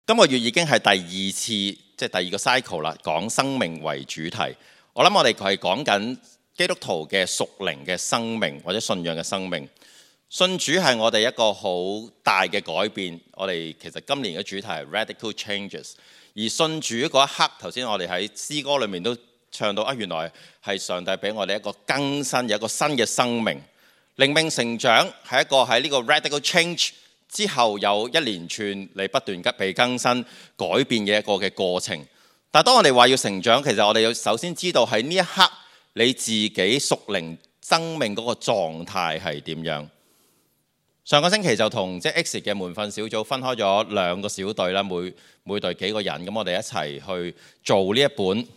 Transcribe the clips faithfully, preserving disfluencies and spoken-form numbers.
今個月已經係第二次，即係第二個 cycle 啦，講生命為主題。我諗我哋係講緊基督徒嘅屬靈嘅生命或者信仰嘅生命。信主係我哋一個好大嘅改變。我哋其實今年嘅主題係 Radical Changes。而信主嗰一刻，頭先我哋喺詩歌裏面都唱到啊，原來係上帝俾我哋一個更新，有一個新嘅生命。靈命成長係一個喺呢個 Radical Change之後有一連串你不斷被更新改變嘅一個嘅過程。但係當我哋話要成長，其實我哋要首先知道喺呢一刻你自己屬靈生命嗰個狀態係點樣。上個星期就同即係 X 嘅門訓小組分開咗兩個小隊啦，每每隊幾個人，咁我哋一齊去做呢一本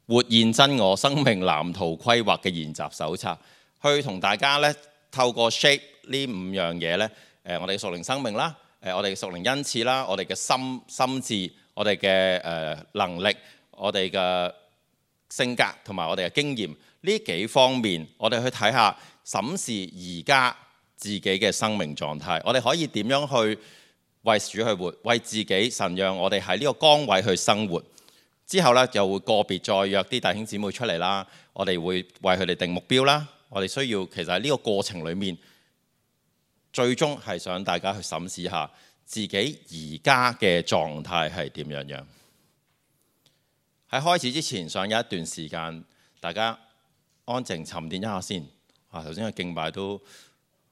活現真我生命藍圖規劃嘅研習手冊，去同大家咧透過 shape 呢五樣嘢咧。誒，我哋嘅屬靈生命啦，誒，我哋嘅屬靈恩賜啦，我哋嘅心心智，我哋嘅誒能力，我哋嘅性格同埋我哋嘅經驗呢幾方面，我哋去睇下審視而家自己嘅生命狀態，我哋可以點樣去為主去活，為自己神讓我哋喺呢個崗位去生活。之後呢，又會個別再約啲弟兄姊妹出嚟啦，我哋會為佢哋定目標啦。我哋需要其實喺呢個過程裡面。最終係想大家去審視下自己而家嘅狀態係點樣樣。喺開始之前，想有一段時間大家安靜沉澱一下先。啊，頭先嘅敬拜都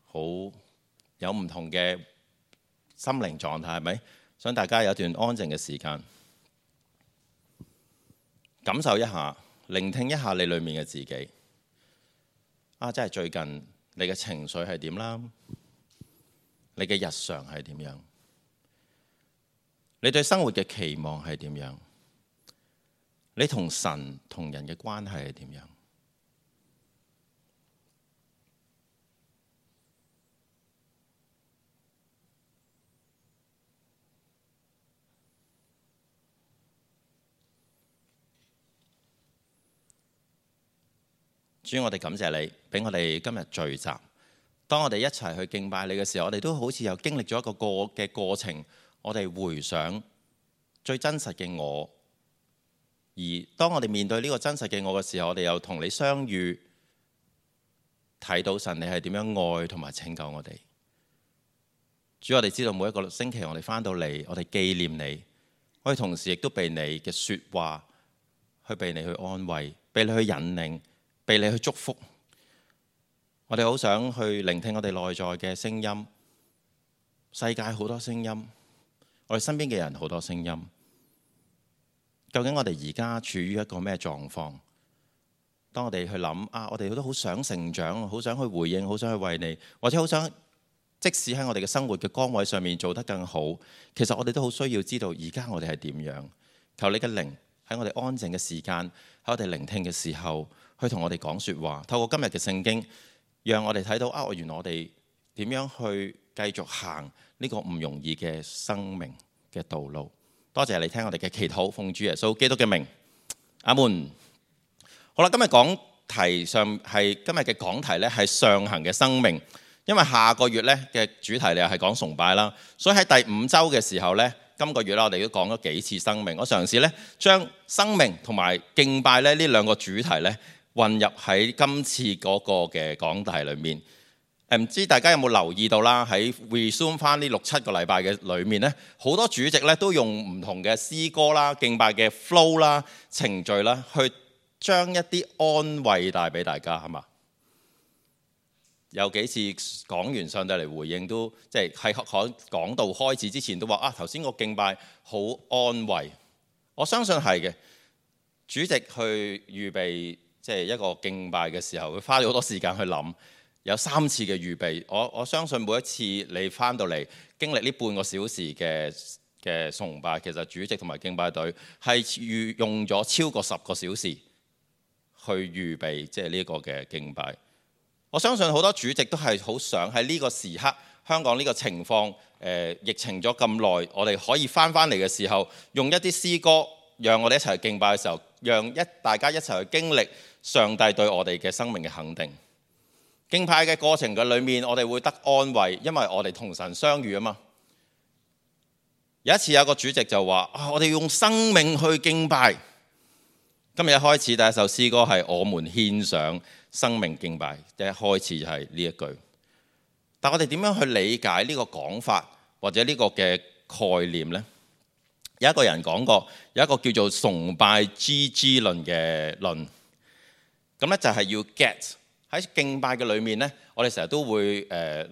好有唔同嘅心靈狀態，係咪？想大家有一段安靜嘅時間，感受一下，聆聽一下你裡面嘅自己。啊，真係最近你嘅情緒係點啦？你嘅日常係點樣？你對生活嘅期望係點樣？你同神同人嘅關係係點樣？主，我哋感謝你，俾我哋今日聚集。當我哋一齊去敬拜你嘅時候，我哋都好似又經歷咗一個過嘅過程。我哋回想最真實嘅我，而當我哋面對呢個真實嘅我嘅時候，我哋又同你相遇，睇到神你係點樣愛同埋拯救我哋。主，我哋知道每一個星期我哋返到嚟，我哋紀念你，我哋同時亦都被你嘅說話去被你去安慰，被你去引領，被你去祝福。我哋好想去聆聽我哋內在嘅聲音，世界好多聲音，我哋身邊嘅人好多聲音。究竟我哋而家處於一個咩狀況？當我哋去諗啊，我哋都好想成長，好想去回應，好想去為你，或者好想即使喺我哋嘅生活嘅崗位上面做得更好，其實我哋都好需要知道而家我哋係點樣。求你嘅靈喺我哋安靜嘅時間，喺我哋聆聽嘅時候，去同我哋講說話。透過今日嘅聖經，讓我哋睇到啊，原來我哋點樣去繼續行呢個唔容易嘅生命嘅道路。多謝你聽我哋嘅祈禱，奉主耶穌基督嘅名，阿門。好啦，今日講題上係今日嘅講題咧係上行嘅生命，因為下個月咧嘅主題咧係講崇拜啦，所以喺第五週嘅時候咧，今個月啦我哋都講咗幾次生命。我嘗試咧將生命同埋敬拜咧呢兩個主題咧，混入喺今次嗰個嘅講題裏面，誒唔知大家有冇留意到啦？喺 resume 翻呢六七個禮拜嘅裏面咧，好多主席咧都用唔同嘅詩歌啦、敬拜嘅 flow 啦、程序啦，去將一啲安慰帶俾大家，係嘛？有幾次講完上帝嚟回應都，即係喺講講道開始之前都話啊，頭先個敬拜好安慰。我相信係嘅，主席去預備。即係一個敬拜嘅時候，佢花咗好多時間去諗，有三次嘅預備。我我相信每一次你翻到嚟經歷呢半個小時嘅嘅崇拜，其實主席同埋敬拜隊係預用咗超過十個小時去預備，即係呢個嘅敬拜。我相信好多主席都係好想喺呢個時刻，香港呢個情況，誒、呃、疫情咗咁耐，我哋可以翻翻嚟嘅時候，用一啲詩歌，讓我哋一齊去敬拜嘅時候，讓一大家一齊去經歷上帝對我哋嘅生命嘅肯定。敬拜嘅過程嘅裏面，我哋會得安慰，因為我哋同神相遇啊嘛。有一次有一個主席就話：啊，我哋用生命去敬拜。今日一開始第一首詩歌係我們獻上生命敬拜，第一開始就係呢一句。但我哋點樣去理解呢個講法或者呢個嘅概念呢？有一個人講過，有一個叫做崇拜 G G 論嘅論。咁咧就係要 get 喺敬拜嘅裏面呢，我哋成日都會誒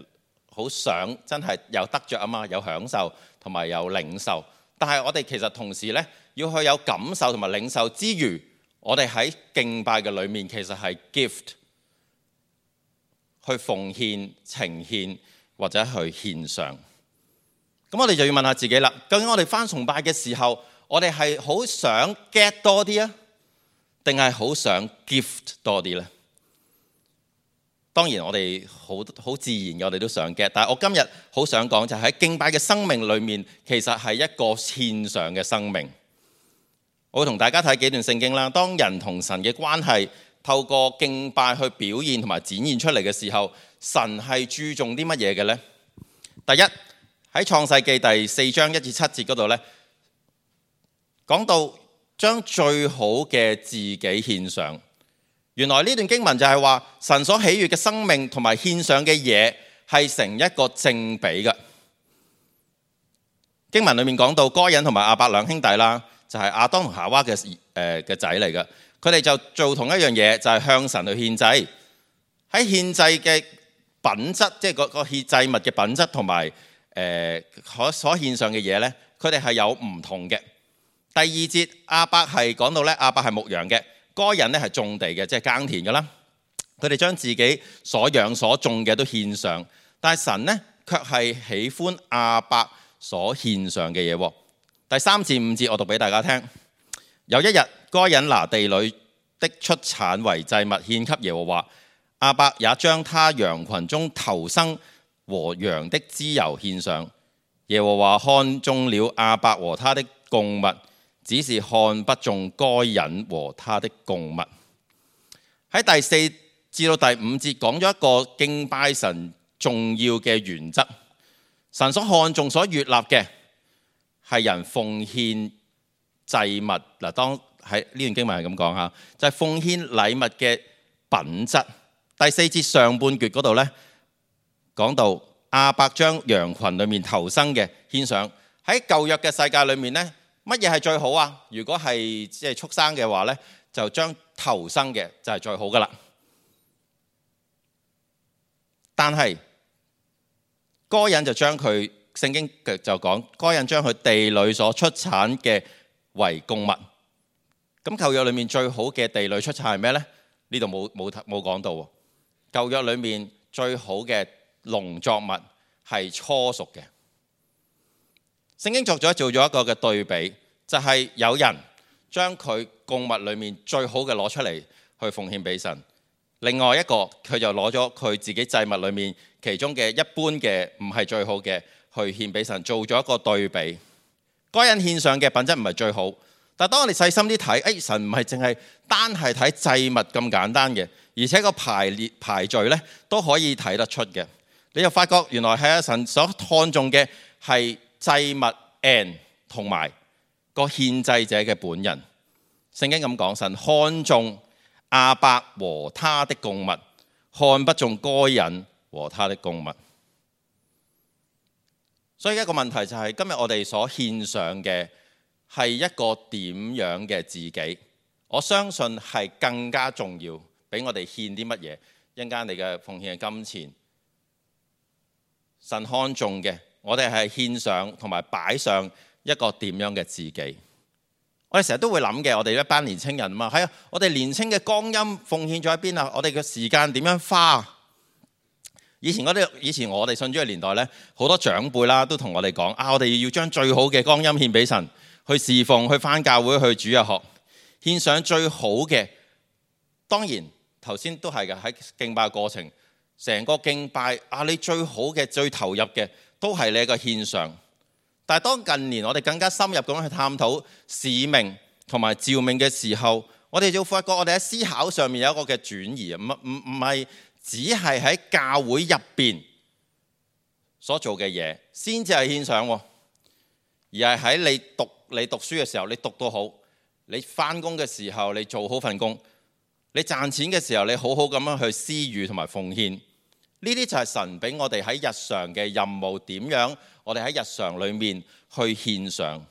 好、呃、想真係有得着啊嘛，有享受同埋有領受。但係我哋其實同時呢，要去有感受同埋領受之餘，我哋喺敬拜嘅裏面其實係 gift 去奉獻、呈獻或者去獻上。咁我哋就要問下自己啦，究竟我哋返崇拜嘅時候，我哋係好想 get 多啲啊，定係好想 gift 多啲呢？當然我哋好好自然嘅，我哋都想 get。但係我今日好想講就係喺敬拜嘅生命裏面，其實係一個獻上嘅生命。我會同大家睇幾段聖經啦。當人同神嘅關係透過敬拜去表現同埋展現出嚟嘅時候，神係注重啲乜嘢嘅呢？第一，喺創世記第四章一至七節嗰度呢，講到將最好嘅自己獻上。原來呢段經文就係話神所喜悅嘅生命同埋獻上嘅嘢係成一個正比嘅。經文裏面講到該隱同埋亞伯兩兄弟啦，就係亞當同夏娃嘅誒嘅仔嚟嘅。佢哋就做同一樣嘢，就係向神去獻祭。喺獻祭嘅品質，即係個個獻祭物嘅品質同埋誒可所獻上嘅嘢呢，佢哋係有唔同嘅。第二節亞伯係講到咧，亞伯係牧羊嘅。該隱咧係種地嘅，即係耕田嘅啦。佢哋將自己所養所種嘅都獻上，但係神呢卻係喜歡亞伯所獻上嘅嘢。第三至五節我讀俾大家聽。有一日，該隱拿地裏的出產為祭物獻給耶和華，亞伯也將他羊群中頭生和羊的脂油獻上。耶和華看中了亞伯和他的供物，只是看不中該隱和他的供物。喺第四至到第五節講咗一個敬拜神重要嘅原則。神所看重、所悅納嘅係人奉獻祭物。嗱，當喺呢段經文係咁講下，就係、是、奉獻禮物嘅品質。第四節上半橛嗰度呢，講到亞伯將羊群裏面頭生嘅獻上。喺舊約嘅世界裏面呢，乜嘢係最好啊？如果係即係畜生嘅話呢，就將頭生嘅就係最好噶啦。但係該隱就將佢，聖經就講該隱將佢地裏所出產嘅為供物。咁舊約裏面最好嘅地裏出產係咩呢？呢度冇冇冇講到喎。舊約裏面最好嘅農作物係初熟嘅。聖經作咗做咗一個嘅對比，就係、是、有人將佢供物裏面最好嘅攞出嚟去奉獻俾神，另外一個佢就攞咗佢自己祭物裏面其中嘅一般嘅唔係最好嘅去獻俾神，做咗一個對比。該隱獻上嘅品質唔係最好，但係當我哋細心啲睇，誒神唔係淨係單係睇祭物咁簡單嘅，而且個排列排序咧都可以睇得出嘅。你就發覺原來係阿神所看重嘅係祭物 and 同埋個獻祭者嘅本人。聖經咁講，神看重亞伯和他的供物，看不中該隱和他的供物。所以一個問題就係、是、今日我哋所獻上嘅係一個點樣嘅自己？我相信係更加重要，比我哋獻啲乜嘢。一陣間你嘅奉獻嘅金錢，神看重嘅，我哋係獻上同埋擺上一個點樣嘅自己。我哋成日都會諗嘅，我哋一班年青人嘛，係啊，我哋年青嘅光陰奉獻咗喺邊啊？我哋嘅時間點樣花？以前嗰啲，以前我哋信主嘅年代呢，好多長輩啦都同我哋講啊，我哋要將最好嘅光陰獻俾神，去侍奉，去返教會，去主日學，獻上最好嘅。當然頭先都係嘅，喺敬拜過程，成個敬拜啊，你最好嘅、最投入嘅都係你一個獻上。但係當近年我哋更加深入咁去探討使命同埋召命嘅時候，我哋就發覺我哋喺思考上面有一個嘅轉移，唔唔唔係只係喺教會入邊所做嘅嘢先至係獻上。而係喺你讀你讀書嘅時候，你讀到好，你返工嘅時候你做好份工，你賺錢嘅時候你好好咁樣去施予同埋奉獻。呢啲就係神俾我哋喺日常嘅任務，點樣我哋喺日常裏面去獻上。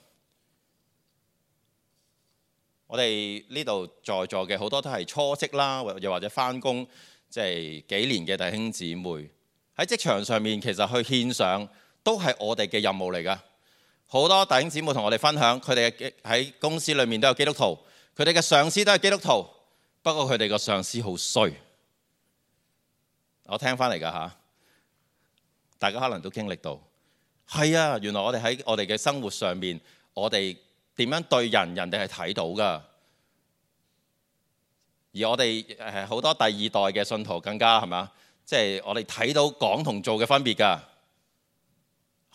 我哋呢度在座嘅好多都係初職啦，又或者返工即係幾年嘅弟兄姊妹，喺職場上面其實去獻上都係我哋嘅任務嚟㗎。好多弟兄姊妹同我哋分享，佢哋喺公司裏面都有基督徒，佢哋嘅上司都係基督徒，不過佢哋個上司好衰。我聽翻嚟㗎嚇，大家可能都經歷到。係啊，原來我哋喺我哋嘅生活上面，我哋點樣對人，人哋係睇到㗎。而我哋誒好多第二代嘅信徒更加係嘛，即係我哋睇到講同做嘅分別㗎。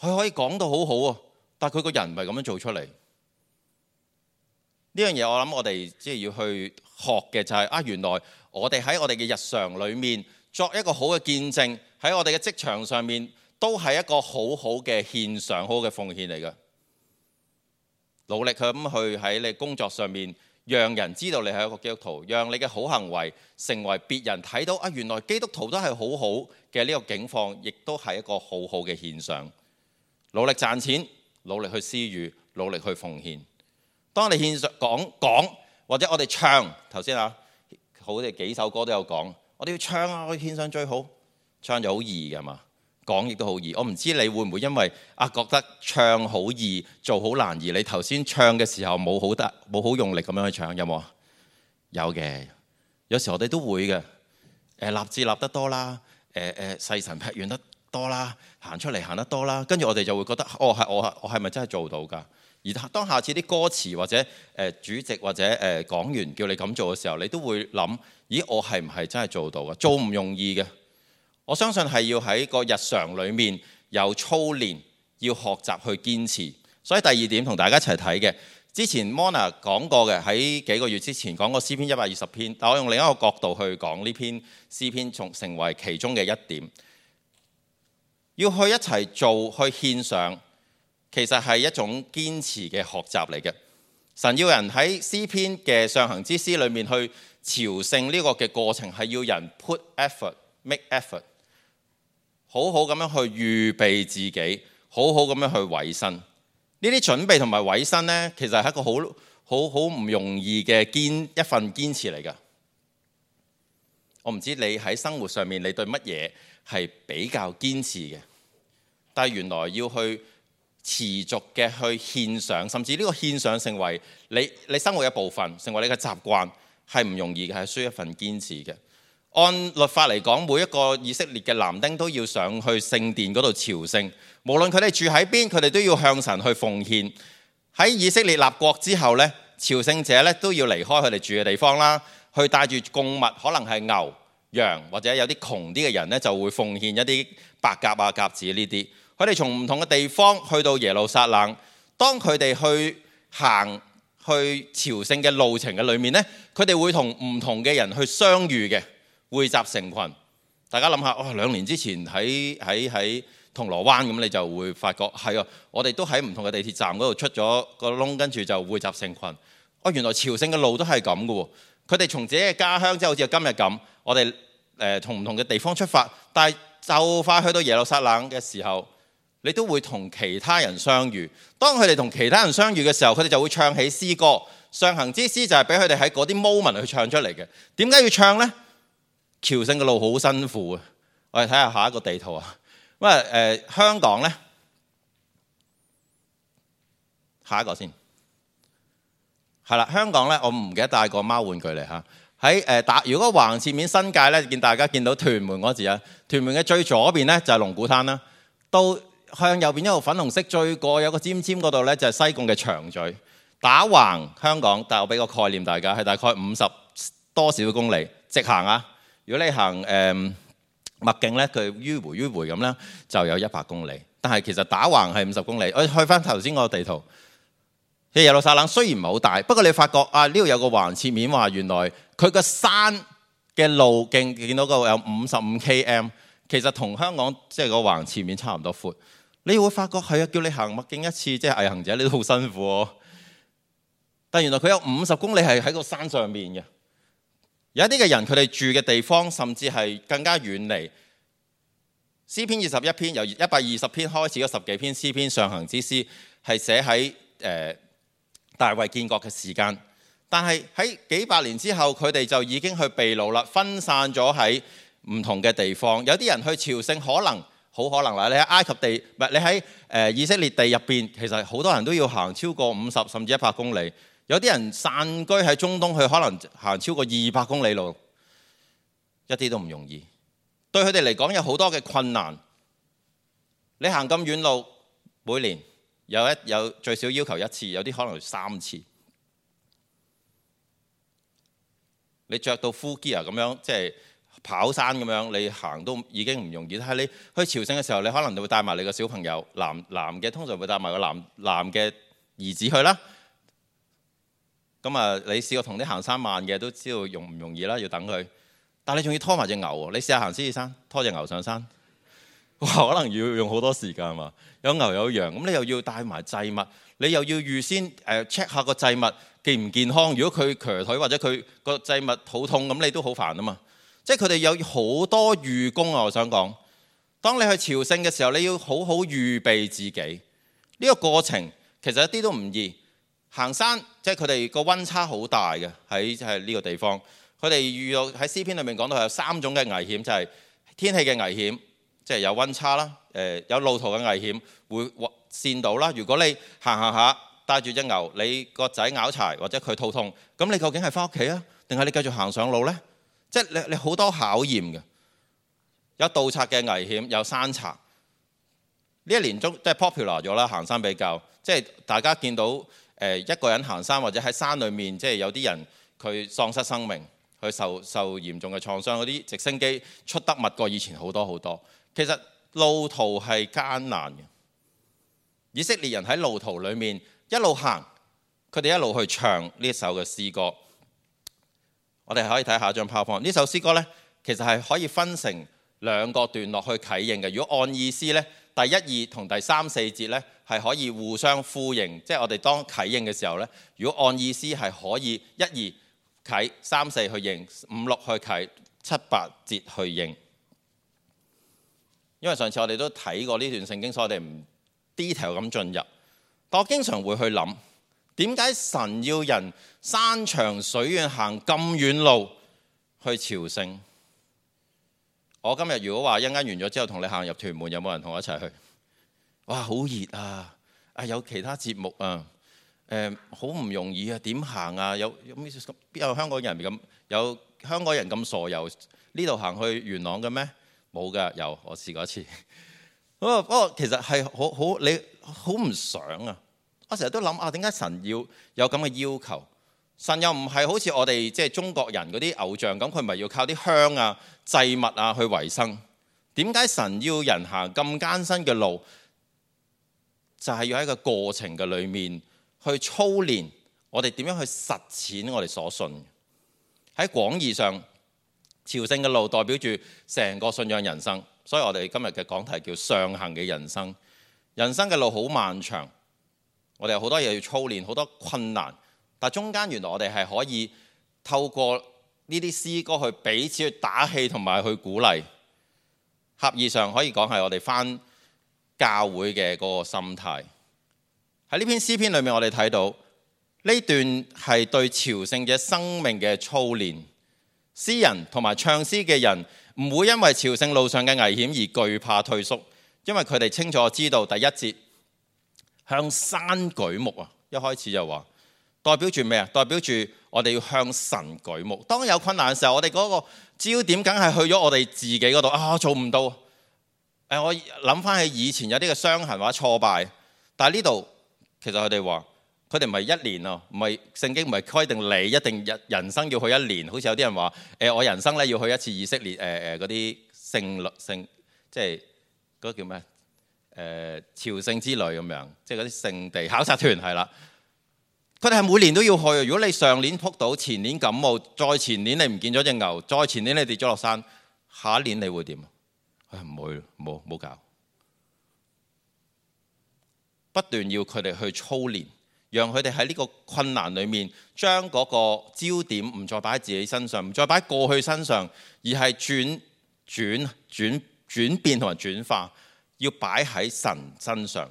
佢可以講到好好啊，但係佢個人唔係咁樣做出嚟。呢樣嘢我諗我哋即係要去學嘅就係啊，原來我哋喺我哋嘅日常裏面作一個好嘅見證，喺我哋嘅職場上面都係一個好好嘅獻上，好嘅奉獻嚟嘅。努力咁去喺你工作上面，讓人知道你係一個基督徒，讓你嘅好行為成為別人睇到啊，原來基督徒都係好好嘅呢個境況，亦都係一個好好嘅獻上。努力賺錢，努力去施予，努力去奉獻。當你獻上講講，或者我哋唱頭先啊，好似幾首歌都有講，我哋要唱啊，我哋獻上最好，唱就好易㗎嘛。講亦都好易，我唔知你會唔會因為啊覺得唱好易做好難，而你頭先唱嘅時候冇好得冇好用力咁樣去唱，有冇啊？有嘅，有時我哋都會嘅。誒立志立得多啦，誒誒細神劈遠得多啦，行出嚟行得多啦，跟住我哋就會覺得哦係我係我係咪真係做到㗎？而當下次啲歌詞或者誒主席或者誒講員叫你咁做嘅時候，你都會諗：咦，我係唔係真係做到㗎？做唔容易嘅。我相信係要喺個日常裏面有操練，要學習去堅持。所以第二點同大家一齊睇嘅，之前 Mona 講過嘅，喺幾個月之前講過詩篇一百二十篇，但我用另一個角度去講呢篇詩篇，從成為其中嘅一點。要去一齊做，去獻上，其實係一種堅持嘅學習嚟嘅。神要人喺詩篇嘅上行之詩裏面去朝聖呢個嘅過程，係要人 put effort、make effort。好好咁樣去預備自己，好好咁樣去委身。呢啲準備同埋委身呢，其實係一個好好好唔容易嘅堅一份堅持嚟㗎。我唔知你喺生活上面你對乜嘢係比較堅持嘅，但係原來要去持續嘅去獻上，甚至呢個獻上成為你你生活嘅部分，成為你嘅習慣，係唔容易嘅，係需要一份堅持嘅。按律法嚟講，每一個以色列嘅男丁都要上去聖殿嗰度朝聖，無論佢哋住喺邊，佢哋都要向神去奉獻。喺以色列立國之後呢，朝聖者咧都要離開佢哋住嘅地方啦，去帶住供物，可能係牛、羊，或者有啲窮啲嘅人呢，就會奉獻一啲白鴿啊、鴿子呢啲。佢哋從唔同嘅地方去到耶路撒冷，當佢哋去行去朝聖嘅路程嘅裏面呢，佢哋會同唔同嘅人去相遇嘅。匯集成群，大家諗下，哦，兩年之前喺喺喺銅鑼灣咁，你就會發覺係啊，我哋都喺唔同嘅地鐵站嗰度出咗個窿，跟住就匯集成群。哦，原來朝聖嘅路都係咁嘅喎。佢哋從自己嘅家鄉，即係好似今日咁，我哋誒從唔同嘅地方出發，但係就快去到耶路撒冷嘅時候，你都會同其他人相遇。當佢哋同其他人相遇嘅時候，佢哋就會唱起詩歌。上行之詩就係俾佢哋喺嗰啲 moment 去唱出嚟嘅。點解要唱呢？朝聖嘅路好辛苦啊！我哋睇下下一個地圖啊。咁啊誒香港呢，下一個先係啦。香港呢，我唔記得帶個貓玩具嚟嚇。喺誒打，如果橫切面新界呢，見大家見到屯門嗰字啊。屯門嘅最左邊呢，就係龍鼓灘啦，到向右邊一路粉紅色最過有個尖尖嗰度呢，就係西貢嘅長咀。打橫香港，但係我俾個概念大家係大概五十多少公里直行啊。如果你行誒麥徑咧，佢迂迴迂迴咁咧，就有一百公里。但係其實打橫係五十公里。我去翻頭先個地圖，其實耶路撒冷雖然唔係好大，不過你發覺啊，呢度有個橫切面話，原來佢個山嘅路徑見到個有五十五 km， 其實同香港即係個橫切面差唔多闊。你會發覺係啊，叫你行麥徑一次，即係毅行者，你都好辛苦喎。但原來佢有五十公里係喺個山上面嘅。有一啲嘅人，佢哋住嘅地方甚至係更加遠離。詩篇二十一篇由一百二十篇開始嗰十幾篇詩篇上行之詩係寫喺誒大衛建國嘅時間，但係喺幾百年之後，佢哋就已經去被擄啦，分散咗喺唔同嘅地方。有啲人去朝聖，可能好可能啦。你喺埃及地，唔係你喺誒以色列地入邊，其實好多人都要行超過五十甚至一百公里。有啲人散居喺中東，佢可能行超過二百公里路，一啲都唔容易。對佢哋嚟講有好多嘅困難。你行咁遠路，每年有一有最少要求一次，有啲可能三次。你着到 full gear 咁樣，即係跑山咁樣，你行都已經唔容易。但係你去朝聖嘅時候，你可能會帶埋你個小朋友，男男嘅通常會帶埋個男男嘅兒子去啦。咁啊，你試過同啲行山慢嘅都知道容唔容易啦，要等佢。但係你仲要拖埋隻牛喎，你試下行獅子山，拖隻牛上山，哇！可能要用好多時間嘛。有牛有羊，咁你又要帶埋祭物，你又要預先誒 check 下個祭物健唔健康。如果佢瘸腿或者佢個祭物肚痛，咁你都好煩啊嘛。即係佢哋有好多預工啊。我想講，當你去朝聖嘅時候，你要好好預備自己。呢個過程其實一啲都唔易。行山即係佢哋個溫差好大嘅，喺係呢個地方。佢哋遇到喺詩篇裏面講到有三種嘅危險，就係天氣嘅危險，即係有溫差啦，誒有路途嘅危險，會跣到啦。如果你行行下帶住隻牛，你個仔拗柴或者佢肚痛，咁你究竟係翻屋企啊，定係你繼續行上路呢？即係你你好多考驗嘅，有盜賊嘅危險，有山賊。呢一年中即係 popular 咗啦，行山比較，即係大家見到誒一個人行山或者喺山裏面，即係有啲人佢喪失生命。佢受受嚴重嘅創傷，嗰啲直升機出得密過以前好多好多。其實路途係艱難嘅。以色列人喺路途裏面一路行，佢哋一路去唱呢一首嘅詩歌。我哋可以睇下一張 PowerPoint。呢首詩歌呢，其實係可以分成兩個段落去啟應嘅。如果按意思呢，第一二同第三四節呢係可以互相呼應。即係我哋當啟應嘅時候呢，如果按意思係可以一二啟三四去應，五六去啟，七八節去應。因為上次我哋都睇過呢段聖經，所以我哋唔 detail 咁進入。但我經常會去諗，點解神要人山長水遠行咁遠路去朝聖？我今日如果話一陣間完咗之後同你行入屯門，有冇人同我一齊去？哇，好熱啊！啊，有其他節目啊！誒好唔容易啊，點行啊？有有邊有香港人咁有香港人咁傻由呢度行去元朗嘅咩？冇㗎，有我試過一次。不過不過其實係好好你好唔想啊！我成日都諗啊，點解神要有咁嘅要求？神又唔係好似我哋即係中國人嗰啲偶像咁，佢唔係要靠啲香啊祭物啊去維生。點解神要人行咁艱辛嘅路？就係要喺個過程嘅裏面。去操練我哋點樣去實踐我哋所信。喺廣義上，朝聖嘅路代表住成個信仰人生，所以我哋今日嘅講題叫上行嘅人生。人生嘅路好漫長，我哋有好多嘢要操練，好多困難，但中間原來我哋係可以透過呢啲詩歌去彼此去打氣同埋去鼓勵。狹義上可以講係我哋返教會嘅嗰個心態。喺呢篇詩篇裏面，我哋睇到呢段係對朝聖者生命嘅操練。詩人同埋唱詩嘅人唔會因為朝聖路上嘅危險而懼怕退縮，因為佢哋清楚知道第一節向山舉目啊，一開始就話代表住咩啊？代表住我哋要向神舉目。當有困難嘅時候，我哋嗰個焦點梗係去咗我哋自己嗰度啊，做唔到。誒，我諗翻起以前有啲嘅傷痕或者挫敗，但係呢度。其實佢哋話，佢哋唔係一年啊，唔係聖經唔係規定你一定人人生要去一年，好似有啲人話，誒我人生咧要去一次以色列誒誒嗰啲聖律聖，即係嗰個叫咩？誒、呃、朝聖之旅咁樣，即係嗰啲聖地考察團係啦。佢哋係每年都要去。如果你上年撲到，前年感冒，再前年你唔見咗隻牛，再前年你跌咗落山，下一年你會點？誒唔會，冇冇搞。不斷要佢哋去操練，讓佢哋喺呢個困難裏面，將嗰個焦點唔再擺喺自己身上，唔再擺喺過去身上，而係轉轉轉轉變同埋轉化，要擺喺神身上。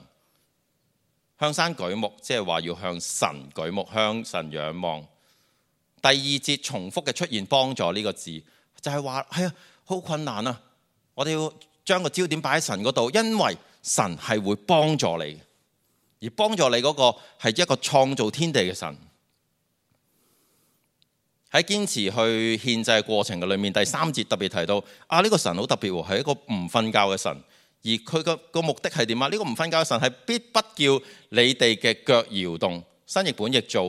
向山舉目，即係話要向神舉目，向神仰望。第二節重複嘅出現幫助呢個字，就係話係啊，好困難啊！我哋要將個焦點擺喺神嗰度，因為神係會幫助你，而幫助你嗰個係一個創造天地嘅神。喺堅持去獻祭嘅過程嘅裏面，第三節特別提到啊，呢個神好特別喎，係一個唔瞓覺嘅神。而佢個個目的係點啊？呢個唔瞓覺嘅神係必不叫你哋嘅腳搖動，新譯本譯做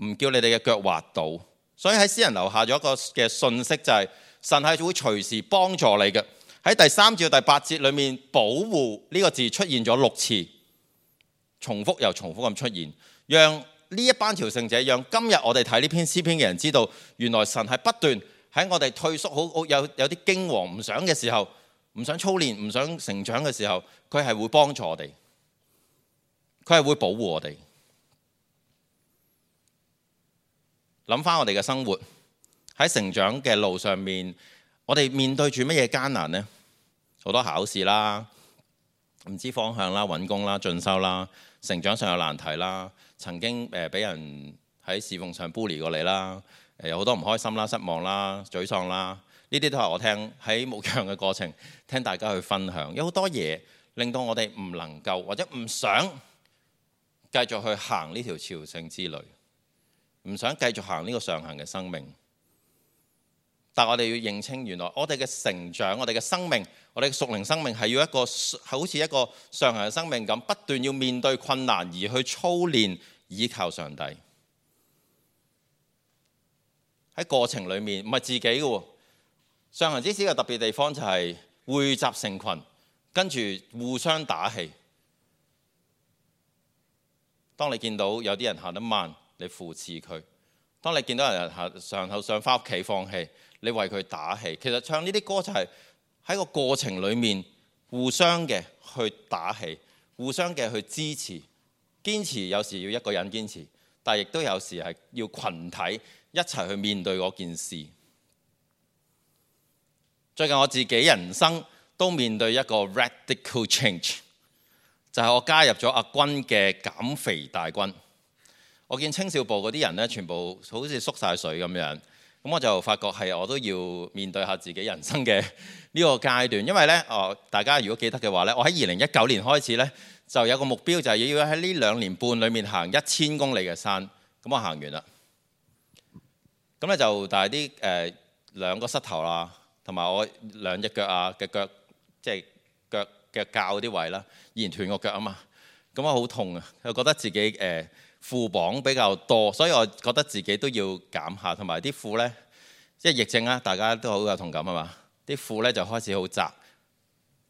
唔叫你哋嘅腳滑倒。所以喺詩人留下咗一個嘅信息，就係神係會隨時幫助你嘅。喺第三至到第八節裏面，保護呢個字出現咗六次，重複又重複咁出現，讓呢一班朝聖者，讓今日我哋睇呢篇詩篇嘅人知道，原來神係不斷喺我哋退縮好好有有啲驚惶唔想嘅時候，唔想操練唔想成長嘅時候，佢係會幫助我哋，佢係會保護我哋。諗翻我哋嘅生活喺成長嘅路上面，我哋面對住乜嘢艱難呢？好多考試啦，唔知方向啦，揾工啦，進修啦，成長上有難題啦，曾經誒俾人喺侍奉上 bully 過你啦，誒有好多唔開心啦、失望啦、沮喪啦，呢啲都係我聽喺牧養嘅過程聽大家去分享。有好多嘢令到我哋唔能夠或者唔想繼續去行呢條朝聖之旅，唔想繼續行呢個上行嘅生命。但我哋要認清，原來我哋嘅成長，我哋嘅生命，我哋嘅屬靈生命係要一個好似一個上行嘅生命咁，不斷要面對困難而去操練倚靠上帝。喺過程裡面唔係自己嘅喎，上行之詩嘅特別地方就係匯集成群，跟住互相打氣。當你見到有啲人行得慢，你扶持佢；當你見到人行上後上返屋企放棄，你為佢打氣。其實唱呢啲歌就係喺個過程裡面互相嘅去打氣，互相嘅去支持。堅持有時要一個人堅持，但係亦都有時係要群體一齊去面對嗰件事。最近我自己人生都面對一個 radical change， 就係我加入咗阿君嘅減肥大軍。我見青少部嗰啲人咧，全部好似縮晒水咁樣，咁我就發覺係我都要面對下自己人生嘅呢個階段。因為咧，哦，大家如果記得嘅話咧，我喺二零一九年開始咧就有個目標，就係要喺呢兩年半裡面行一千公里嘅山。咁我行完啦，咁咧就但係啲誒兩個膝頭啦，同埋我兩隻腳啊嘅腳，即係腳嘅較啲位啦，依然斷個腳啊嘛，咁我好痛啊，又覺得自己誒。呃褲綁比較多，所以我覺得自己都要減下，同埋啲褲呢，即係疫症啊，大家都好有同感啊嘛。啲褲呢就開始好窄，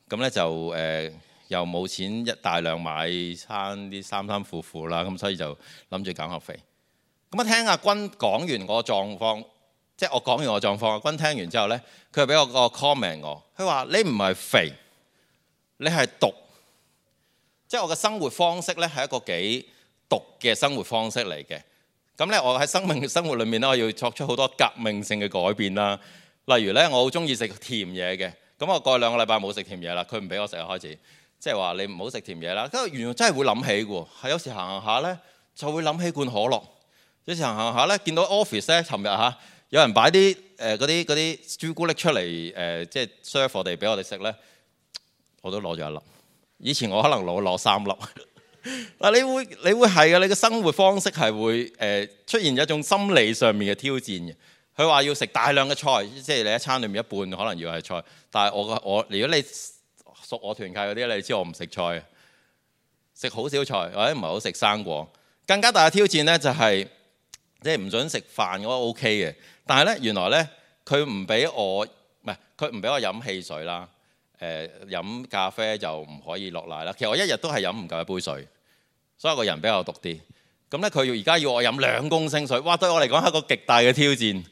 咁呢就誒、呃、又冇錢一大量買餐啲衫衫褲褲啦，咁所以就諗住減下肥。咁啊，聽阿君講完我狀況，即係我講完我狀況，阿君聽完之後呢，佢又俾我個 comment 我，佢話你唔係肥，你係毒，即係我嘅生活方式呢係一個幾毒嘅生活方式嚟嘅。咁咧，我喺生命生活裏面咧，我要作出好多革命性嘅改變啦。例如咧，我好中意食甜嘢嘅。咁我過去兩個禮拜冇食甜嘢啦，佢唔俾我食啊，開始即係話你唔好食甜嘢啦。跟住原來真係會諗起嘅，係有時行行下咧就會諗起罐可樂。有時行行下咧，見到 office 咧，尋日嚇有人擺啲誒嗰啲嗰啲朱古力出嚟誒，即係 serve 我哋俾我哋食咧，我都攞咗一粒。以前我可能攞攞三粒。嗱，你會你會係嘅，你嘅生活方式係會誒、呃、出現一種心理上面嘅挑戰嘅。佢話要食大量嘅菜，即係你一餐裏面一半可能要係菜。但係我個我，如果你熟我團契嗰啲，你知我唔食菜，食好少菜或者唔係好食生果。更加大嘅挑戰咧就係即係唔準食飯，我 O K 嘅。但係咧原來咧佢唔俾我唔係佢唔俾我飲汽水啦，誒、呃、飲咖啡就唔可以落奶啦。其實我一日都係飲唔夠一杯水。所以我個人比較毒啲，咁咧佢要而家要我飲兩公升水，哇！對我嚟講係一個極大嘅挑戰。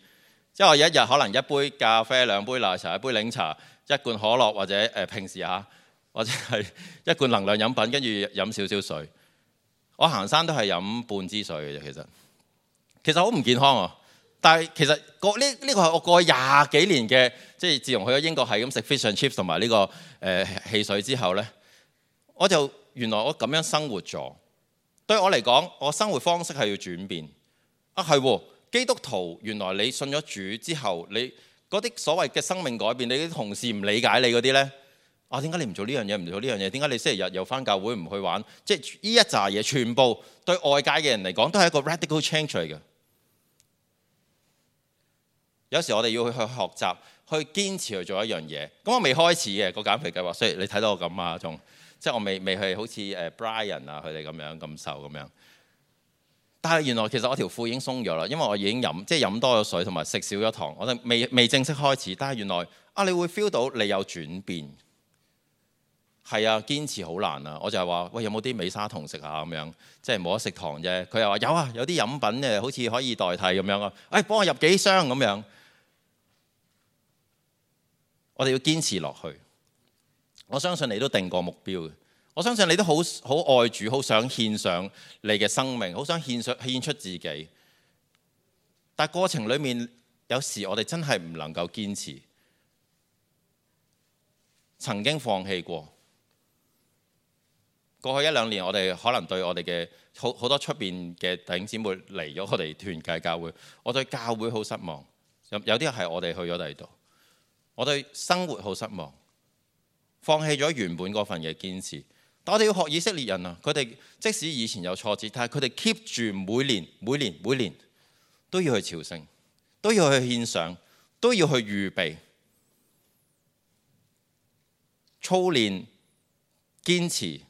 即係我一日可能一杯咖啡、兩杯奶茶、一杯檸茶、一罐可樂或者誒、呃、平時嚇，或者係一罐能量飲品，跟住飲少少水。我行山都係飲半支水嘅啫，其實其實好唔健康啊！但係其實個呢呢個係我過去廿幾年嘅，即係自從去咗英國係咁食 fish and chips 同埋呢個誒、呃、汽水之後呢，我就原來我咁樣生活咗。對我嚟講，我生活方式係要轉變啊！係喎，基督徒原來你信咗主之後，你嗰啲所謂嘅生命改變，你啲同事唔理解你嗰啲呢，啊點解你唔做呢樣嘢，唔做呢樣嘢？點解你星期日又返教會唔去玩？即係呢一紮嘢，全部對外界嘅人嚟講都係一個 radical change 嚟嘅。有時我哋要去去學習，去堅持去做一樣嘢。咁我未開始嘅個減肥計劃，所以你睇到我咁啊，仲即係我未未去好似誒 Brian 啊佢哋咁樣咁瘦咁樣。但係原來其實我條褲已經鬆咗啦，因為我已經飲即係飲多咗水同埋食少咗糖。我哋未未正式開始，但係原來啊，你會 feel 到你有轉變。係啊，堅持好難啊！我就係話喂，有冇啲美沙酮食下咁樣，即係冇得食糖啫。佢又話有啊，有啲飲品誒，好似可以代替咁樣啊。誒，幫我入幾箱咁樣。我哋要堅持落去。我相信你都定過目標嘅。我相信你都好好愛主，好想獻上你嘅生命，好想獻上獻出自己。但係過程裡面，有時我哋真係唔能夠堅持，曾經放棄過。過去一兩年，我哋可能對我哋嘅好好多出邊嘅弟兄姊妹嚟咗我哋團契教會，我對教會好失望。有有啲係我哋去咗第二度，我對生活好失望，放棄咗原本嗰份嘅堅持。但我哋要學以色列人啊，佢哋即使以前有挫折，但係佢哋 keep 住每年、每年、每年都要去朝聖，都要去獻上，都要去預備、操練、堅持。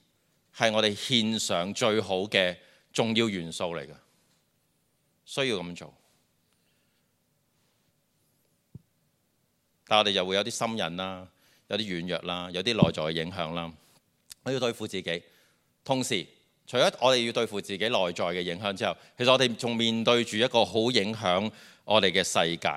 係我哋獻上最好嘅重要元素嚟嘅，需要咁做。但我哋又會有啲心癮啦，有啲軟弱啦，有啲內在嘅影響啦。我要對付自己，同時除咗我哋要對付自己內在嘅影響之後，其實我哋仲面對住一個好影響我哋嘅世界。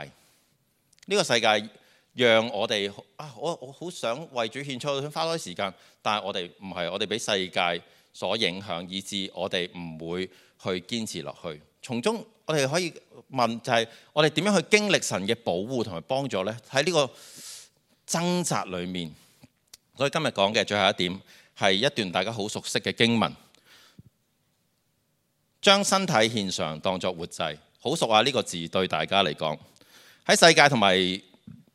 呢個世界讓我哋啊，我我好想為主獻出，想花多啲時間，但係我哋唔係，我哋俾世界所影響，以致我哋唔會去堅持落去。從中我哋可以問就係我哋點樣去經歷神嘅保護同埋幫助呢？喺呢個掙扎裡面，所以今日講嘅最後一點係一段大家好熟悉嘅經文，將身體獻上當作活祭。好熟啊！呢個字對大家嚟講，喺世界同埋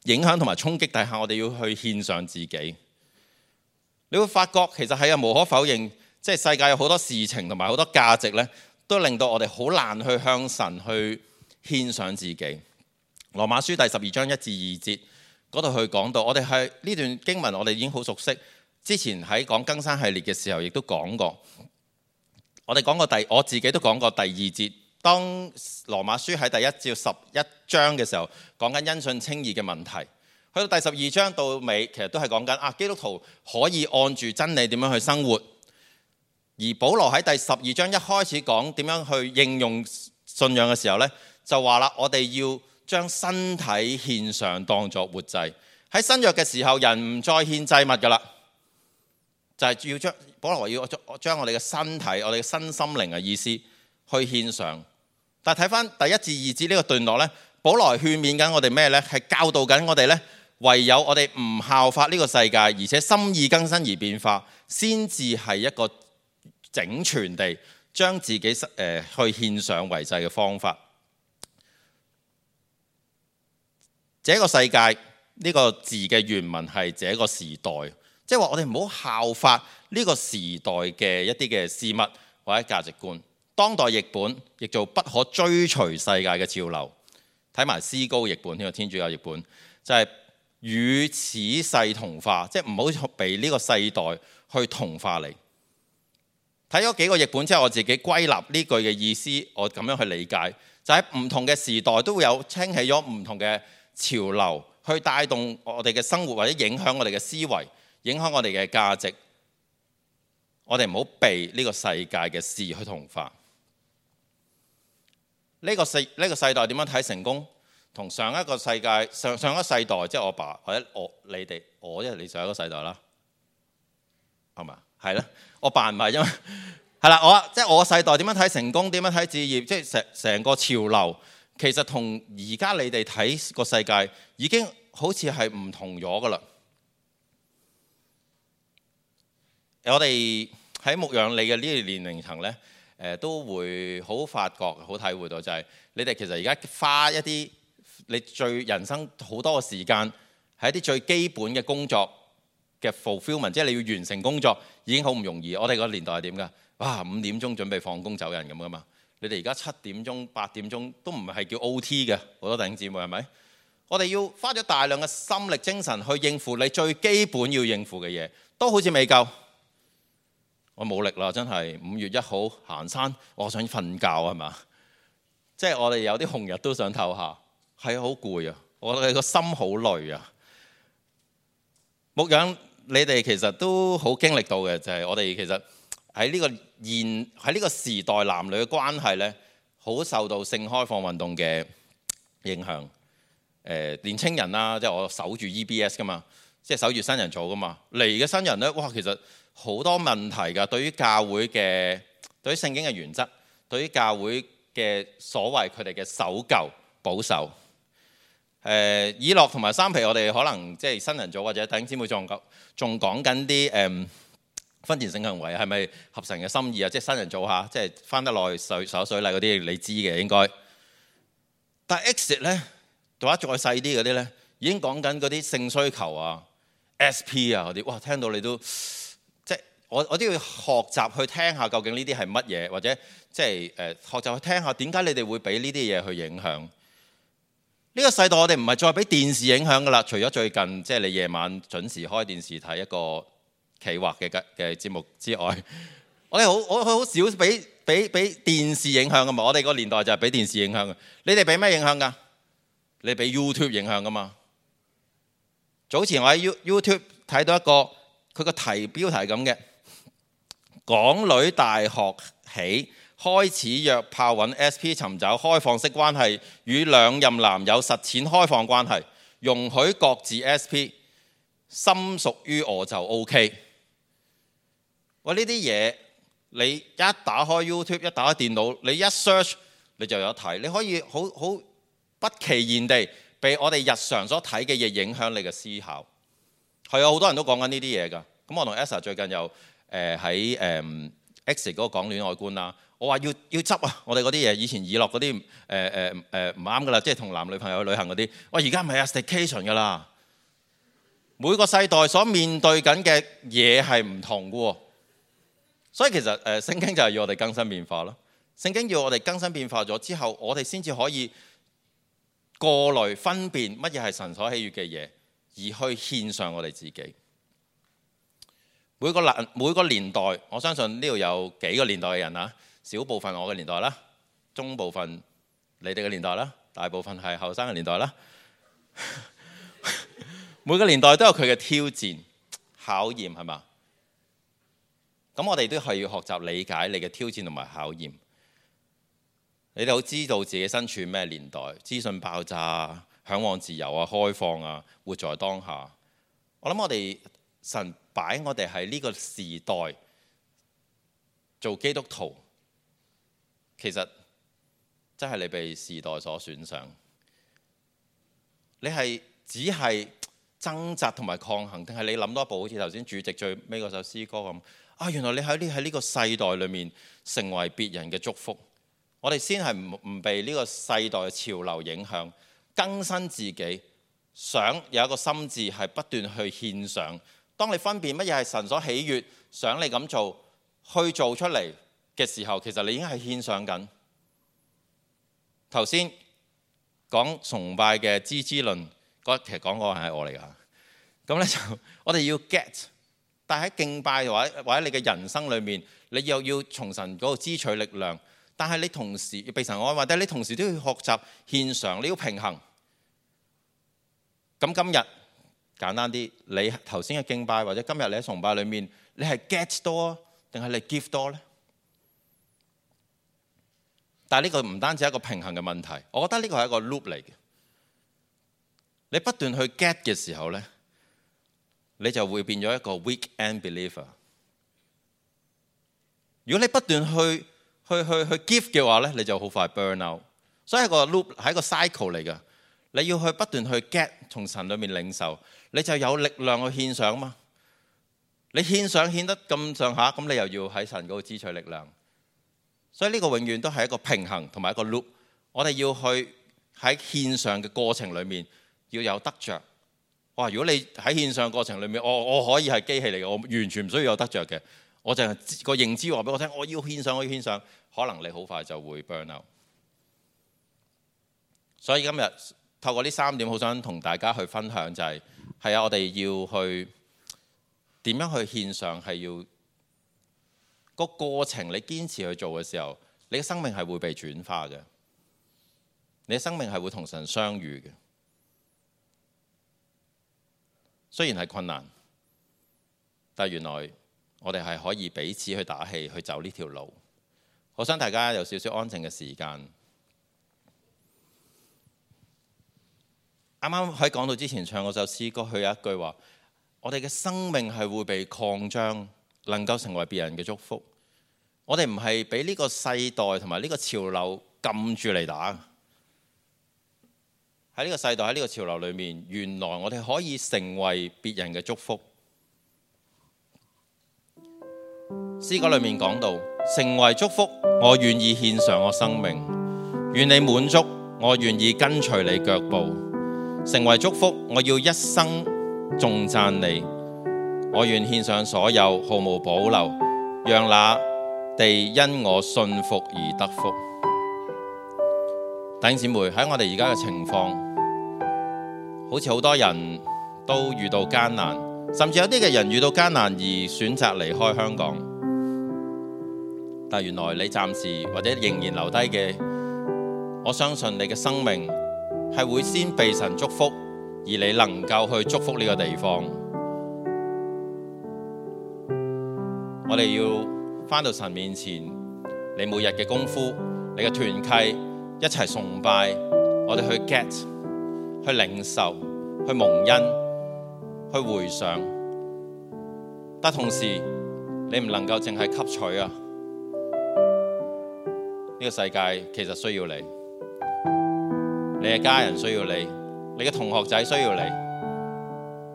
影響同埋衝擊底下，我哋要去獻上自己。你會發覺其實係啊，無可否認，即係世界有好多事情同埋好多價值呢，都令到我哋好難去向神去獻上自己。羅馬書第十二章一至二節嗰度去講到，我哋係呢段經文，我哋已經好熟悉。之前喺講更新系列嘅時候，亦都講過。我哋講過第，我自己都講過第二節。當羅馬書喺第一至十一章嘅時候，講緊因信稱義嘅問題，去到第十二章到尾，其實都係講緊啊基督徒可以按住真理點樣去生活。而保羅喺第十二章一開始講點樣去應用信仰嘅時候呢，就話啦，我哋要將身體獻上當作活祭。喺新約嘅時候，人唔再獻祭物噶啦，就係、是、要將保羅話要將我哋嘅身體、我哋嘅身心靈嘅意思去獻上。但係睇翻第一至二節呢個段落呢，保羅勸勉緊我哋咩呢？係教導緊我哋呢，唯有我哋唔效法呢個世界，而且心意更新而變化，先至係一個整全地將自己誒、呃、去獻上為祭嘅方法。這個世界呢、這個字嘅原文係這個時代，即係話我哋唔好效法呢個時代嘅一啲嘅事物或者價值觀。當代譯本亦做不可追隨世界嘅潮流，睇埋思高譯本呢個天主教譯本，就係、是、與此世同化，即係唔好被呢個世代去同化你。睇咗幾個譯本之後，我自己歸納呢句嘅意思，我咁樣去理解，就喺、是、唔同嘅時代都會有興起咗唔同嘅潮流，去帶動我哋嘅生活或者影響我哋嘅思維，影響我哋嘅價值。我哋唔好被呢個世界嘅事去同化。呢、這個世呢、這個世代點樣睇成功？同上一個世界上上一個世代，即係我爸或者我你哋我，因為你上一個世代啦，係嘛？係啦，我爸唔係，因為係啦，我即係我世代點樣睇成功，點樣睇置業，即係成成個潮流，其實同而家你哋睇個世界已經好似係唔同咗噶啦。我哋喺牧養你嘅呢個年齡層呢，誒都會好發覺、好體會到，就係你哋其實而家花一啲你最人生好多嘅時間，係一啲最基本嘅工作嘅 fulfillment，即係你要完成工作已經好唔容易。我哋個年代係點㗎？哇，五點鐘準備放工走人咁噶嘛？你哋而家七點鐘、八點鐘都唔係叫 O T 嘅，好多弟兄姊妹係咪？我哋要花咗大量嘅心力、精神去應付你最基本要應付嘅嘢，都好似未夠。我冇力啦，真係五月一號行山，我想瞓覺係嘛？即係我哋有啲紅日都想唞下，係好攰啊！我哋個心好累啊！牧養你哋其實都好經歷到嘅，就係我哋其實喺呢個現喺呢個時代男女嘅關係呢，好受到性開放運動嘅影響。誒年青人啦，即係我守住 E B S 噶嘛，即係守住新人組噶嘛。嚟嘅新人呢，哇，其實好多問題㗎。對於教會嘅，對於聖經嘅原則，對於教會嘅所謂佢哋嘅守舊保守。誒以諾同埋三皮，我哋可能即係新人組或者弟兄姊妹仲講仲講緊啲誒婚前性行為係咪合神嘅心意啊？即係新人組下，即係翻得耐水手水禮嗰啲，你知嘅應該。但係 exit 咧，做下再細啲嗰啲咧，已經講緊嗰啲性需求啊、S P 啊嗰啲，哇！聽到你都即係我我都要學習去聽下究竟呢啲係乜嘢，或者即係誒學習去聽下點解你哋會俾呢啲嘢去影響。呢個世代我哋唔係再俾電視影響㗎啦，除咗最近即係你夜晚準時開電視睇一個企劃嘅嘅節目之外，我哋好我好少俾俾俾電視影響㗎嘛。我哋個年代就係俾電視影響嘅。你哋俾咩影響㗎？你俾 YouTube 影響㗎嘛？早前我喺 YouTube 睇到一個佢個題標題咁嘅，港女大學起開始約炮揾 S P 尋找開放式關係，與兩任男友實踐開放關係，容許各自 S P， 心屬於我就 OK。喂，呢啲嘢你一打開 YouTube， 一打開電腦，你一 search 你就有睇，你可以好好不其然地被我哋日常所睇嘅嘢影響你嘅思考。係啊，好多人都講緊呢啲嘢㗎。咁我同 Esa 最近又誒喺誒 X 嗰個講戀愛觀啦。我話要要執啊！我哋嗰啲嘢，以前以諾嗰啲誒誒誒唔啱噶啦，即係同男女朋友去旅行嗰啲。喂，而家唔係啊 staycation 噶啦。每個世代所面對緊嘅嘢係唔同嘅喎，所以其實誒、呃、聖經就係要我哋更新變化咯。聖經要我哋更新變化咗之後，我哋先至可以過濾分辨乜嘢係神所喜悅嘅嘢，而去獻上我哋自己。每個年每個年代，我相信呢度有幾個年代嘅人啊。小部分我嘅年代啦，中部分你哋嘅年代啦，大部分係後生嘅年代啦。每個年代都有佢嘅挑戰、考驗，係嘛？咁我哋都係要學習理解你嘅挑戰同埋考驗。你哋好知道自己身處咩年代，資訊爆炸、嚮往自由啊、開放啊、活在當下。我諗我哋神擺我哋喺呢個時代做基督徒。其實真係你被時代所選上，你係只係掙扎同埋抗衡，定係你諗多一步？好似頭先主席最尾嗰首詩歌咁啊！原來你喺呢喺呢個世代裏面成為別人嘅祝福。我哋先係唔唔被呢個世代嘅潮流影響，更新自己，想有一個心志係不斷去獻上。當你分辨乜嘢係神所喜悅，想你咁做去做出嚟嘅時候，其實你已經係獻上緊。頭先講崇拜嘅支支論，其實講嗰個係我嚟㗎。咁咧就我哋要 get， 但喺敬拜或者或者你嘅人生裏面，你又要從神嗰度支取力量，但係你同時要被神愛，或者你同時都要學習獻上，你要平衡。咁今日簡單啲，你頭先嘅敬拜或者今日你喺崇拜裏面，你係 get 多定係你 give 多呢？但係呢個唔單止係一個平衡嘅問題，我覺得呢個係一個 loop 嚟嘅。你不斷去 get 嘅時候呢，你就會變咗一個 weekend believer。如果你不斷去去去去 give 嘅話咧，你就好快 burn out。所以係個 loop，係一個 cycle 嚟㗎。你要去不斷去 get 從神裏面領受，你就有力量去獻上嘛。你獻上獻得咁上下，咁你又要喺神嗰度支取力量。所以呢個永遠都係一個平衡同埋一個 loop。我哋要去喺獻上嘅過程裏面要有得着。哇！如果你喺獻上過程裏面，我我可以係機器嚟嘅，我完全唔需要有得着嘅，我就係個認知話俾我聽，我要獻上，我要獻上，可能你好快就會 burn out。所以今日透過呢三點，好想同大家去分享就係，係啊，我哋要去點樣去獻上，係要個過程，你堅持去做嘅時候，你嘅生命係會被轉化嘅，你嘅生命係會同神相遇嘅。雖然係困難，但係原來我哋係可以彼此去打氣，去走呢條路。我想大家有少少安靜嘅時間。啱啱喺講道之前唱嗰首詩歌，佢有一句話：我哋嘅生命係會被擴張，能夠成為別人嘅祝福。我哋唔係俾呢個世代同埋呢個潮流撳住嚟打。喺呢個世代，喺呢個潮流裏面，原來我哋可以成為別人嘅祝福。詩歌裏面講到，成為祝福，我願意獻上我生命，願你滿足，我願意跟隨你腳步。成為祝福，我要一生頌讚你，我願獻上所有，毫無保留，讓那地因我信服而得福。弟兄姊妹，喺我哋而家嘅情況，好似好多人都遇到艱難，甚至有啲嘅人遇到艱難而選擇離開香港。但原來你暫時或者仍然留低嘅，我相信你嘅生命係會先被神祝福，而你能夠去祝福呢個地方。我哋要返到神面前，你每日嘅功夫，你嘅團契，一齊崇拜，我哋去 get， 去領受，去蒙恩，去回想。但同時，你唔能夠淨係吸取啊！呢個世界其實需要你。你嘅家人需要你，你嘅同學仔需要你，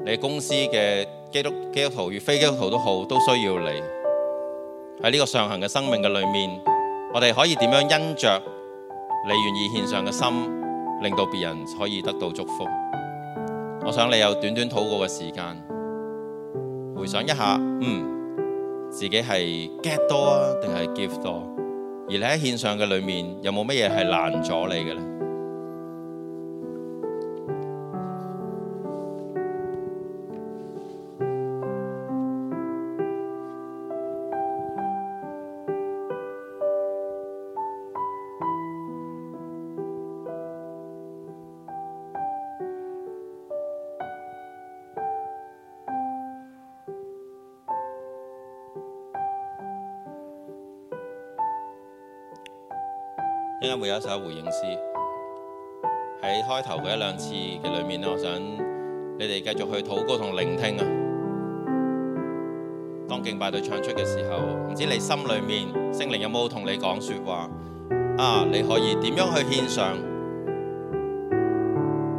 你嘅公司嘅基督基督徒與非基督徒都好，都需要你。喺呢個上行嘅生命嘅裏面，我哋可以點樣因着你願意獻上嘅心，令到別人可以得到祝福？我想你有短短禱告嘅時間，回想一下，嗯，自己係 get 多啊，定係 give 多？而你喺獻上嘅裏面，有冇乜嘢係難咗你嘅呢？應該會有一首回應詩，喺開頭嘅一兩次嘅裏面咧，我想你哋繼續去禱告同聆聽啊。當敬拜隊唱出嘅時候，唔知你心裏面聖靈有冇同你講說話啊？你可以點樣去獻上？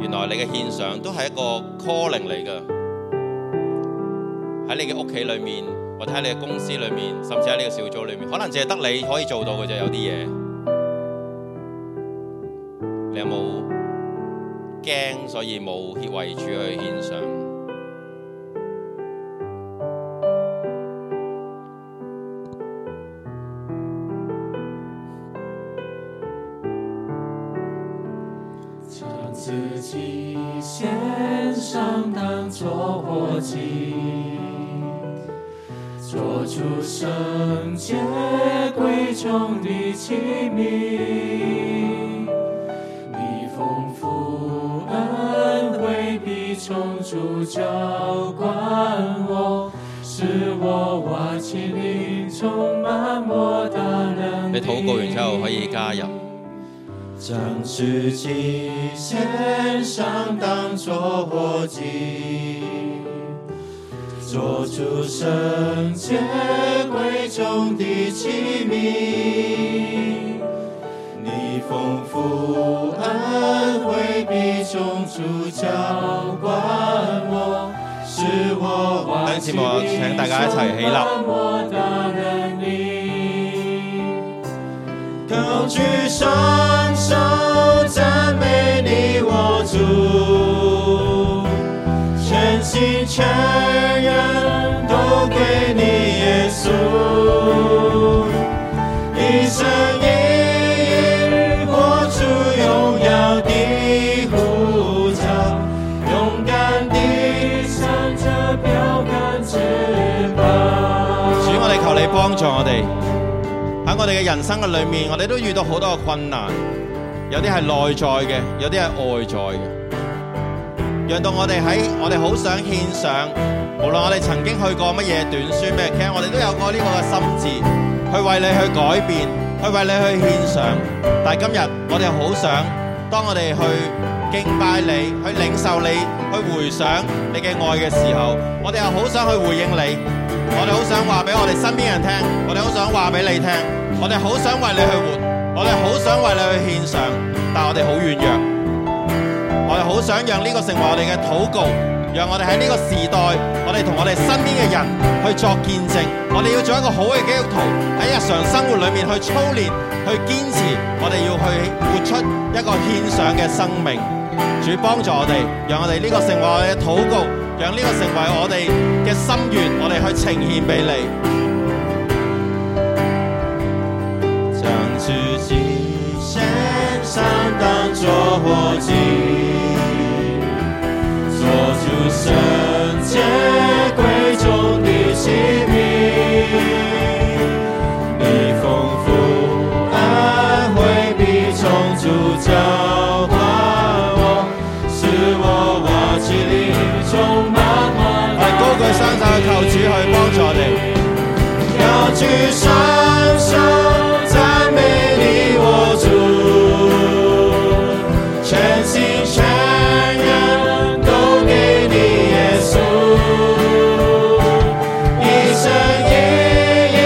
原來你嘅獻上都係一個 calling 嚟㗎。喺你嘅屋企裏面，或者喺你嘅公司裏面，甚至喺你嘅小組裏面，可能淨係得你可以做到嘅啫。有啲嘢。你有冇驚，所以冇為主去獻上？將自己獻上當作活祭，做出聖潔貴重的器皿。從主澆灌我，使我瓦器裏充滿莫大能力。你禱告完之後可以加入。將自己獻上當作活祭，做主聖潔貴重的器皿，你豐富恩惠必從主澆灌我，使我忘記請大家一齊起立，高舉雙手讚美你我主，全心全人都給你耶穌，一生一意活出榮耀的呼召，勇敢地向着標杆直跑。主，我哋求你幫助我哋。喺我哋嘅人生嘅裏面，我哋都遇到好多嘅困難，有啲係內在嘅，有啲係外在嘅，讓到我哋喺我哋好想獻上，無論我哋曾經去過乜嘢短宣咩，其實我哋都有過呢個嘅心志，去為你去改變，去為你去獻上。但係今日我哋好想，當我哋去敬拜你，去領受你，去回想你嘅愛嘅時候，我哋又好想去回應你。我哋好想話俾我哋身邊人聽，我哋好想話俾你聽，我哋好想為你去活，我哋好想為你去獻上，但係我哋好軟弱，我哋好想讓呢個成為我哋嘅禱告，讓我哋喺呢個時代，我哋同我哋身邊嘅人去作見證，我哋要做一個好嘅基督徒，喺日常生活裏面去操練，去堅持，我哋要去活出一個獻上嘅生命。主幫助我哋，讓我哋呢個成為我哋嘅禱告，讓呢個成為我哋嘅心願，我哋去呈獻俾你。將自己獻上當作活祭，做主聖潔貴重的器皿，你豐富恩惠必從主澆灌我，使我忘記你充滿我。我哋高舉雙手去求主去幫助我哋，高舉雙手讚美你我主，全心全人都給你耶穌，一生一意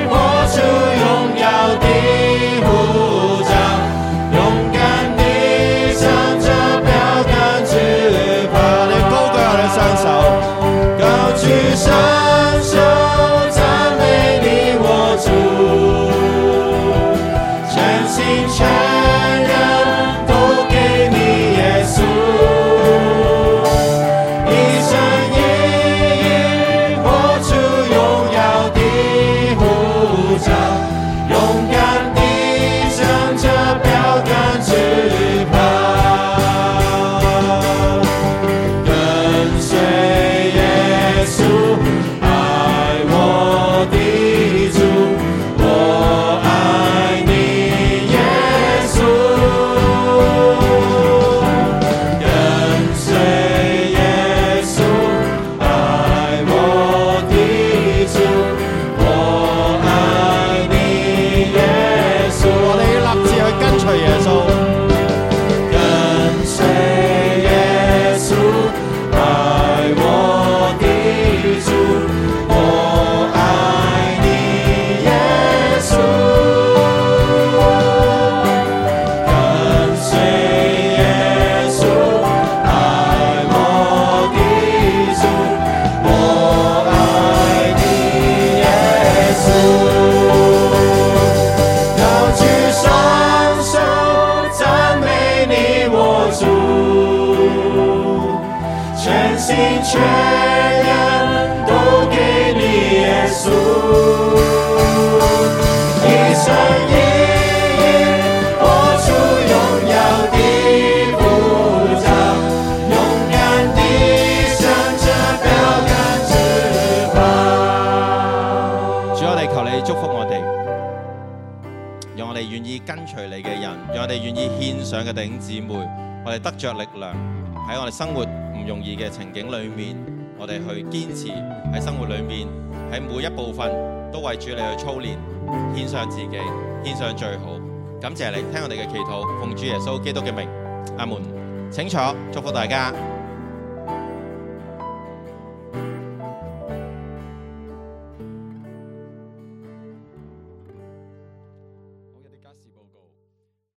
活出榮耀的呼召，勇敢地向着標杆直跑。我哋高舉我哋雙手，高舉雙手讚美你我主，全心全人都給你耶穌，一生一意活出榮耀的呼召，勇敢地向着標杆直跑，跟隨耶穌愛我的主，我愛你耶穌，跟隨耶穌愛我的主，我愛你耶穌。我哋要立志去跟隨耶穌。跟隨耶穌愛我的主，我愛你耶穌，跟隨耶穌愛我的主，我愛你耶穌，高舉雙手讚美你我主，全心全人都給你耶穌，一生一意活出榮耀的呼召，勇敢地向着標杆直跑。主，我哋求你祝福我哋，讓我哋願意跟隨你嘅人，讓我哋願意獻上嘅弟兄姊妹，我哋得着力量喺我哋生活唔容易嘅情景裏面，我哋去堅持喺生活裏面，喺每一部分都為主你去操練，獻上自己，獻上最好。感謝你聽我哋嘅祈禱，奉主耶穌基督嘅名，阿門。請坐，祝福大家。